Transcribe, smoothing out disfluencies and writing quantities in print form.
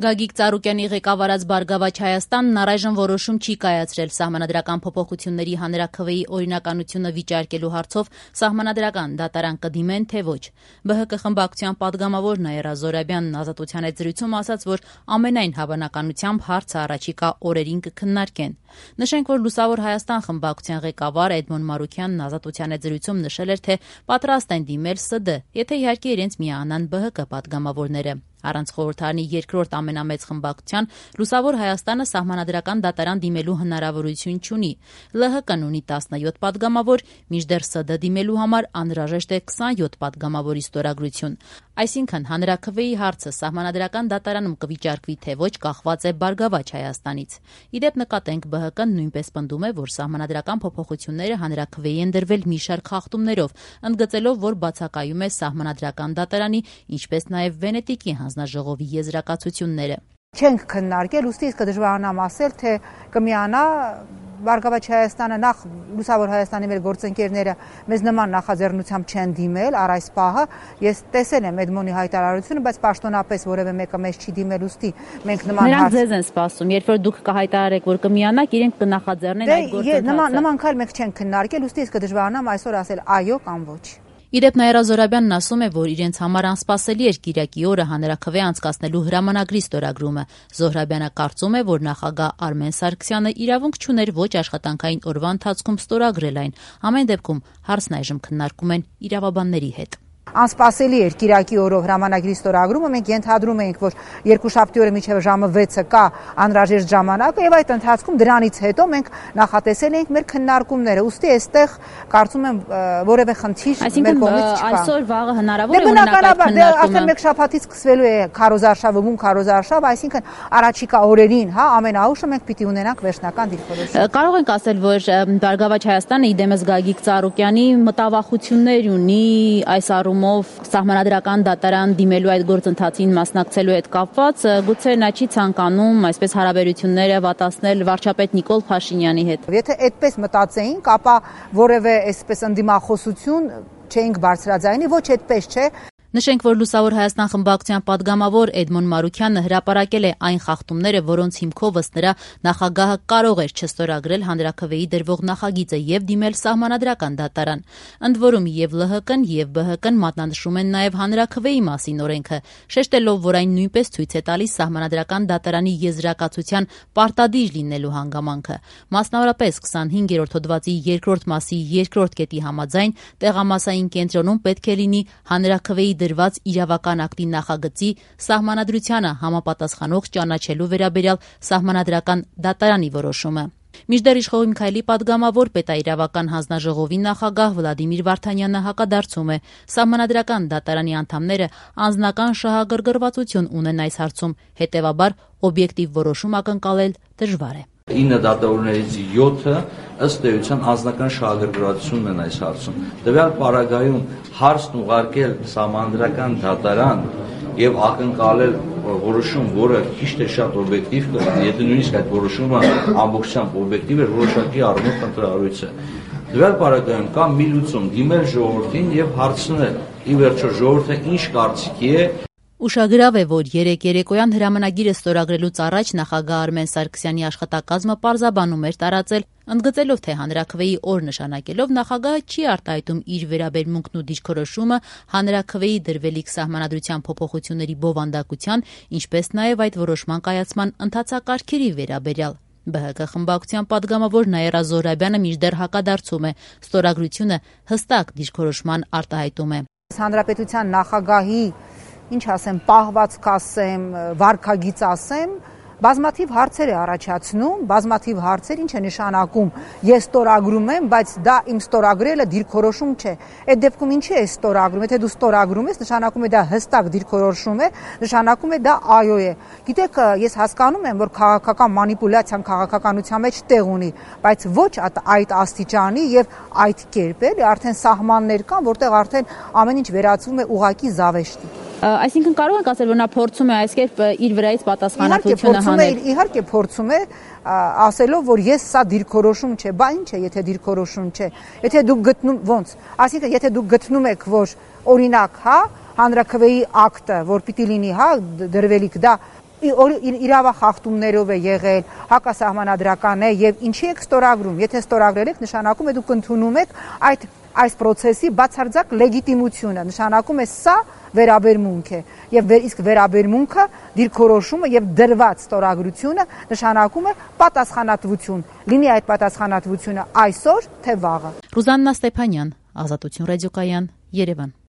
Գագիկ Ծառուկյանի ղեկավարած Բարգավաճ Հայաստանն առայժմ որոշում չի կայացրել սահմանադրական փոփոխությունների հանրաքվեի օրինականությունը վիճարկելու հարցով սահմանադրական դատարան կդիմեն, թե ոչ։ ԲՀԿ խմբակցության պատգամավոր Նաիրա Զոհրաբյանն Ազատության հետ զրույցում ասաց, որ ամենայն հավանականությամբ հարցը առաջիկա օրերին կքննարկեն։ Նշենք, որ Լուսավոր Հայաստան խմբակցության ղեկավար Էդմոն Մարուքյանն Ազատության հետ զրույցում նշել էր, թե պատրաստ են դիմել ՍԴ, եթե իհարկե իրենց միանան ԲՀԿ պատգամավորները։ Առանց խորհրդարանի երկրորդ ամենամեծ խմբակցության Լուսավոր Հայաստանը սահմանադրական դատարան դիմելու հնարավորություն չունի։ ԼՀԿ-ն ունի 17 պատգամավոր, մինչդեռ ՍԴ դիմելու համար անհրաժեշտ է 27 պատգամավորի ստորագրություն։ Այսինքն հանրաքվեի հարցը սահմանադրական դատարանում կվիճարկվի, թե ոչ, կախված է Բարգավաճ Հայաստանից։ Իդեպ նկատենք, ԲՀԿ-ն նույնպես պնդում է, որ սահմանադրական փոփոխությունները հանրաքվեի են դրվել մի շարք խախտումներով, ընդգծելով, որ բացակայում է սահմանադրական դատարանի, ինչպես նաև Վենետիկի հանձնաժողովի եզրակացությունները։ Չենք քննարկել, ուստի իսկ դժվարանամ ասել, թե կմիանա Բարգավաճ Հայաստանը, նախ Լուսավոր Հայաստանի մեր գործընկերները մեզ նման նախաձեռնությամբ չեն դիմել առ այս պահը։ Ես տեսել եմ Էդմոնի հայտարարությունը, բայց պաշտոնապես որևէ մեկը մեզ չի դիմել, ուստի մենք նման Նրանք ձեզ են սպասում, երբ որ դուք կհայտարարեք, որ կմիանաք, իրենք կնախաձեռնեն այդ գործընթացը։ Նման քայլ մենք չենք քննարկել, ուստի իսկ դժվարանամ այսօր ասել այո կամ ոչ։ Իդեպ Նաիրա Զոհրաբյանն ասում է, որ իրենց համար անսպասելի էր կիրակի օրը հանրաքվե անցկացնելու հրամանագրի ստորագրումը։ Զոհրաբյանը կարծում է, որ նախագահ Արմեն Սարգսյանը իրավունք չուներ ոչ աշխատանքային օրվա ընթացքում ստորագրել այն։ Ամեն դեպքում հարցն այժմ քննարկում են իրավաբանների հետ։ Անսպասելի էր կիրակի օրով հրամանագրի ստորագրումը, մենք ենթադրում էինք, որ երկուշաբթի օրը մինչև ժամը 6-ը կա անհրաժեշտ ժամանակը, եւ այդ ընթացքում դրանից հետո մենք նախատեսել էինք մեր քննարկումները։ Ուստի այստեղ կարծում եմ որևէ խնդիր մեր կողմից չկա։ Այսօր վաղը հնարավոր է օրինակ այդ քննարկումը։ Արդեն մեկ շաբաթից սկսվելու է քարոզարշավը, բուն քարոզարշավ, այսինքն առաջիկա օրերին, ամենաուշը մենք պիտի ունենանք վերջնական դիրքորոշում։ Կարող ենք ասել, որ Բարգավաճ Հայաստանը իդեմս Գագիկ Ծառուկյանի մտավախություններ ունի այս առումով սահմանադրական դատարան դիմելու այդ գործընթացին մասնակցելու հետ կապված, գուցե նա չի ցանկանում այսպես հարաբերությունները վատացնել վարչապետ Նիկոլ Փաշինյանի հետ։ Եթե այդպես մտածեինք, ապա որևէ այսպես ընդդիմախոսություն չէինք բարձրաձայնի, ոչ այդպես չէ։ Նշենք, որ Լուսավոր Հայաստան խմբակցության պատգամավոր Էդմոն Մարուքյանը հրապարակել է այն խախտումները, որոնց հիմքով ըստ նրա նախագահը կարող էր չստորագրել հանրաքվեի դրվող նախագիծը եւ դիմել սահմանադրական դատարան։ Ընդ որում եւ ԼՀԿ-ն եւ ԲՀԿ-ն մատնանշում են նաեւ հանրաքվեի մասին օրենքը, շեշտելով, որ այն նույնպես ցույց է տալիս սահմանադրական դատարանի եզրակացության պարտադիր լինելու հանգամանքը։ Մասնավորապես 25-րդ հոդվածի 2-րդ մասի 2-րդ կետի համաձայն տեղամասային կենտրոնում պետք է լինի հանրաքվեի դրված իրավական ակտի նախագծի սահմանադրությանը համապատասխանող ճանաչելու վերաբերյալ սահմանադրական դատարանի որոշումը։ Մինչդեռ իշխող Միքայելի պատգամավոր պետաիրավական հանձնաժողովի նախագահ Վլադիմիր Վարդանյանը հակադարձում է. սահմանադրական դատարանի անդամները անձնական շահագրգռվածություն ունեն այս հարցում, հետևաբար օբյեկտիվ որոշում ակնկալել դժվար է։ 9 դատավորներից 7-ը ըստ էության անձնական շահագրգռվածությունն են այս հարցում։ Տվյալ պարագայում հարցն ուղարկել սահմանադրական դատարան եւ ակնկալել որոշում, որը քիչ թե շատ օբյեկտիվ կլինի, եթե նույնիսկ այդ որոշումը ամբողջությամբ օբյեկտիվ էր, որոշակի առումով ընտրառույց է։ Տվյալ պարագայում կա մի լուծում՝ դիմել ժողովրդին եւ հարցնել։ Ի վերջո ժողովուրդը ինչ կարծիքի է։ Ուշագրավ է, որ երեկոյան հրամանագիրը ստորագրելուց առաջ նախագահ Արմեն Սարգսյանի աշխատակազմը պարզաբանում էր տարածել, ընդգծելով, թե հանրաքվեի օր նշանակելով նախագահը չի արտահայտում իր վերաբերմունքն ու դիրքորոշումը հանրաքվեի դրվելիք սահմանադրության փոփոխությունների բովանդակության, ինչպես նաև այդ որոշման կայացման ընթացակարգերի վերաբերյալ։ ԲՀԿ խմբակցության պատգամավոր Նաիրա Զոհրաբյանը մինչդեռ հակադարձում է, ստորագրությունը հստակ դիրքորոշման արտահայտում է։ Հանրապետության նախագահի ինչ ասեմ, պահվածք ասեմ, վարքագիծ ասեմ, բազմաթիվ հարցեր է առաջացնում, բազմաթիվ հարցեր, ինչ է նշանակում, ես ստորագրում եմ, բայց դա իմ ստորագրելը դիրքորոշում չէ։ Այդ դեպքում ինչի է ստորագրում, եթե դու ստորագրում ես, նշանակում է դա հստակ դիրքորոշում է, նշանակում է դա այո է։ Գիտեք, ես հասկանում եմ, որ քաղաքական մանիպուլյացիան քաղաքականության մեջ տեղ ունի, բայց ոչ այդ աստիճանի եւ այդ կերպ էլի, արդեն սահմաններ կան, որտեղ արդեն ամեն ինչ վերածվում է ուղակի զավեշտի։ Այսինքն կարող ենք ասել, որ նա փորձում է այս կերպ իր վրայից պատասխանատվությունը հանել։ Իհարկե փորձում է ասելով, որ ես սա դիրքորոշում չէ, բա ինչ է, եթե դիրքորոշում չէ։ Եթե դուք գտնում ոնց, այսինքն եթե դուք գտնում եք, որ օրինակ, հանրաքվեի ակտը, որ պիտի լինի, դրվելիք դա իրավախախտումներով է եղել, հակասահմանադրական է եւ ինչի եք ստորագրում, եթե ստորագրել եք, նշանակում է դուք ընդունում եք այս process-ի բացարձակ լեգիտիմությունը, նշանակում է սա վերաբերմունք է եւ իսկ վերաբերմունքը դիրքորոշումը եւ դրված ստորագրությունը նշանակում է պատասխանատվություն, լինի այդ պատասխանատվությունը այսօր թե վաղը։ Ռուզաննա Ստեփանյան, Ազատություն ռադիոկայան, Երևան։